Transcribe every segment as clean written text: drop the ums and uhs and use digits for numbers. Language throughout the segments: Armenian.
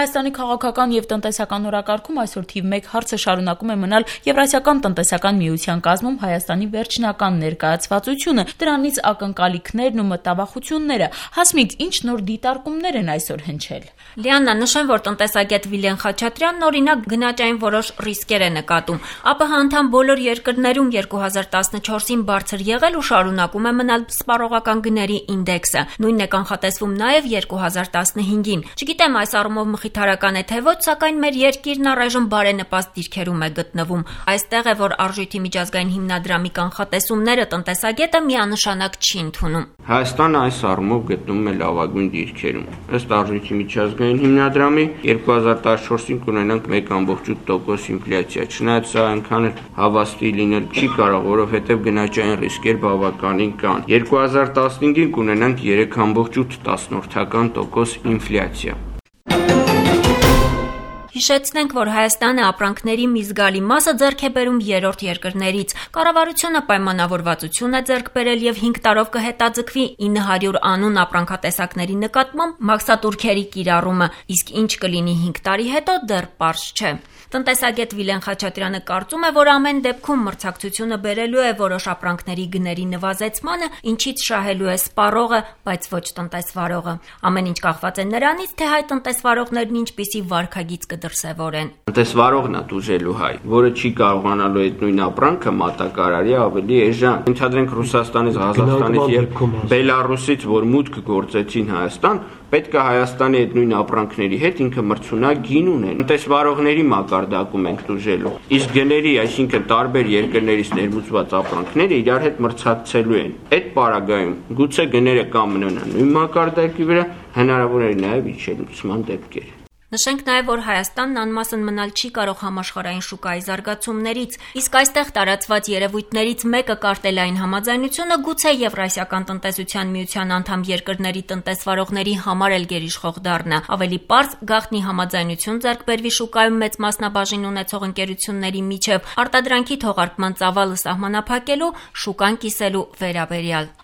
Հայաստանի քաղաքական եւ տնտեսական օրակարգում այսօր թիվ 1 հարցը շարունակում է մնալ Եվրասիական տնտեսական միության կազմում Հայաստանի վերջնական ներկայացվածությունը, դրանից ակնկալիքներն ու մտավախությունները։ Հասմիկ, ինչ նոր դիտարկումներ են այսօր հնչել։ Լիաննա, նշեմ, որ տնտեսագետ Վիլեն Խաչատրյանն օրինակ գնաճային որոշ ռիսկեր է նկատում։ ԱՊՀ անդամ բոլոր երկրներում 2014-ին բարձր եղել ու շարունակում է մնալ սպառողական գների ինդեքսը։ Նույնն է կանխատեսվում նաև 2015-ին։ Չգիտեմ այս առումով մխիթարական է թե ոչ, սակայն մեր երկիրն առայժմ բարենպաստ դիրքերում է գտնվում։ Այստեղ է, որ Արժույթի միջազգային հիմնադրամի կանխատեսումները տնտեսագետը միանշանակ չի ընդունում։ Հայաստանը այս առումով գտնվում է լավագույն դիրքերում։ Ըստ Արժույթի միջազգային հիմնադրամի 2014-ին կունենանք 1.8% ինֆլյացիա։ Չնայած սա այնքան հավաստի լինել չի կարող, որովհետև գնաճային ռիսկեր բավականին կան։ 2015-ին կունենանք 3.8% ինֆլյացիա։ Հիշեցնենք, որ Հայաստանը ապրանքների մի զգալի մասը ձեռք է բերում երրորդ երկրներից։ Կառավարությունը պայմանավորվածություն է ձեռք բերել եւ 5 տարով կհետաձգվի 900 անուն ապրանքատեսակների նկատմամբ մաքսատուրքերի կիրառումը, իսկ ինչ կլինի 5 տարի հետո դեռ պարզ չէ։ Տնտեսագետ Վիլեն Խաչատրյանը կարծում է, որ ամեն դեպքում մրցակցությունը բերելու է որոշ ապրանքների գների նվազեցմանը, ինչից շահելու է սպառողը, բայց ոչ տնտեսվարողը։ Ամեն ինչ կախված է նրանից, թե հայ տնտեսվարողներն ինչպիսի վարքագիծ կդրսևորեն։ Տնտեսվարողն է դուժելու հայ, որը չի կարողանալու այդ նույն ապրանքը մատակարարի ավելի էժան։ Ընդհանրենք Ռուսաստանից, Ղազախստանից եւ Բելարուսից, որ մուտք գործեցին Հայաստան, պետք է Հայաստանի այդ նույն ապրանքների հետ ինքը մրցունակ գին ունեն։ Տնտեսվարողների մակարդակում ենք դուժելու։ Իսկ գների, այսինքն տարբեր երկրներից ներմուծված ապրանքները իրար հետ մրցակցելու են։ Այդ պարագայում գուցե գները կամ մնան նույն մակարդակի վրա, հնարավոր է նաեւ իջեցման դեպքեր։ Նշենք նաև, որ Հայաստանն անմասն մնալ չի կարող համաշխարհային շուկայի զարգացումներից, իսկ այստեղ տարածված երևույթներից մեկը կարտելային համաձայնությունը գուցե Եվրասիական տնտեսության միության անդամ երկրների տնտեսվարողների համար էլ գերիշխող դառնա։ Ավելի պարզ գաղտնի համաձայնություն ձեռք բերվի շուկայում մեծ մասնաբաժին ունեցող ընկերությունների միջև արտադրանքի թողարկման ծավալը սահմանափակելու, շուկան կիսելու վերաբերյալ։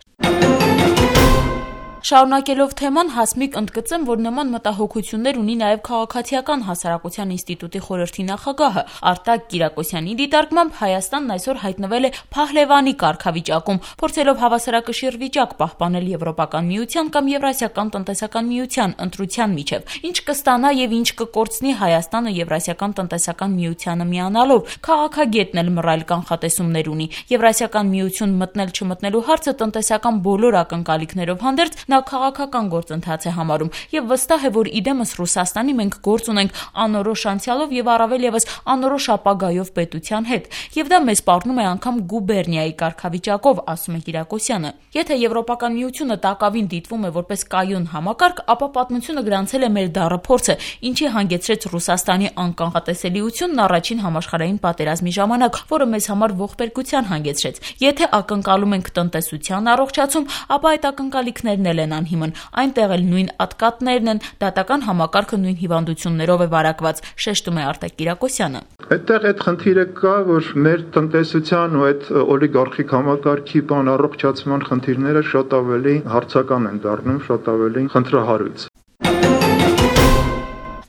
Շարունակելով թեման, Հասմիկ ընդգծեմ, որ նման մտահոգություններ ունի նաև Քաղաքացիական հասարակության ինստիտուտի խորհրդի նախագահը Արտակ Կիրակոսյանի դիտարկմամբ Հայաստանն այսօր հայտնվել է փահլևանի կարգավիճակում, փորձելով հավասարակշիռ վիճակ պահպանել Եվրոպական միության կամ Եվրասիական տնտեսական միության ընտրության միջև, ինչ կստանա եւ ինչ կկորցնի Հայաստանը Եվրասիական տնտեսական միությանը միանալով։ Քաղաքագետն էլ մռայլ կանխատեսումներ ունի։ Եվրասիական միություն մտնել-չմտնելու հարցը տնտեսական բոլոր ակնկալիքներով հանդերձ նա քաղաքական գործընթաց է համարում եւ վստահ է, որ իդեմս Ռուսաստանի մենք գործ ունենք անորոշ անցյալով եւ առավել եւս անորոշ ապագայով պետության հետ, եւ դա մեզ սպառնում է անգամ գուբերնիայի կարգավիճակով, ասում է Կիրակոսյանը։ Եթե Եվրոպական միությունը տակավին դիտվում է որպես կայուն համակարգ, ապա պատմությունը գրանցել է մեր դառը փորձը, ինչի հանգեցրեց Ռուսաստանի անկանխատեսելիությունն առաջին համաշխարհային պատերազմի ժամանակ, որը մեզ համար ողբերգության հանգեցրեց։ Եթե ակնկալում ենք տնտեսության առողջացում, ապա այդ ակնկալիքներն էլ են անհիմն, այնտեղ էլ նույն ատկատներն են, դատական համակարգը նույն հիվանդություններով է վարակված, շեշտում է Արտակ Կիրակոսյանը։ Այդտեղ այդ խնդիրը կա, որ մեր տնտեսության ու այդ օլիգարխիկ համակարգի առողջացման խնդիրները շատ ավելի հարցական են դառնում, շատ ավելի խնդրահարույց։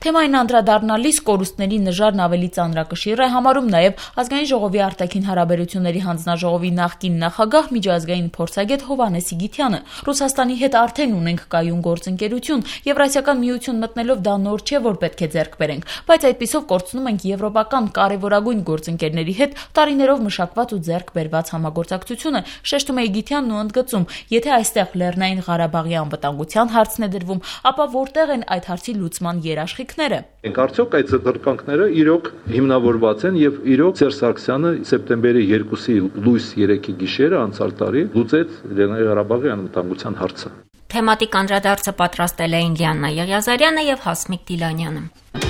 Թեմային անդրադառնալիս կորուստների նժարն ավելի ծանրակշիռ է համարում նաև Ազգային ժողովի արտաքին հարաբերությունների հանձնաժողովի նախկին նախագահ միջազգային փորձագետ Հովհաննես Իգիթյանը։ Ռուսաստանի հետ արդեն ունենք կայուն գործընկերություն, Եվրասիական միություն մտնելով դա նոր չէ, որ պետք է ձեռք բերենք, բայց այդպիսով կորցնում ենք եվրոպական կարևորագույն գործընկերների հետ տարիներով մշակված ու ձեռք բերված համագործակցությունը, շեշտում է Իգիթյանն ու ընդգծում, եթե այստեղ Լեռնային Ղարաբաղի անվտանգության հարցն է դրվում, ապա որտեղ են այդ հարցի լուծման երաշխիք։ Արդյոք այդ զրկանքները իրոք հիմնավորված են եւ իրոք Սերժ Սարգսյանը սեպտեմբերի 2-ի լույս 3-ի գիշերը անցյալ տարի լուծեց Լեռնային Ղարաբաղի անվտանգության հարցը։ Թեմատիկ անդրադարձը պատրաստել էին Լիաննա Եղիազարյանը եւ Հասմիկ Դիլանյանը։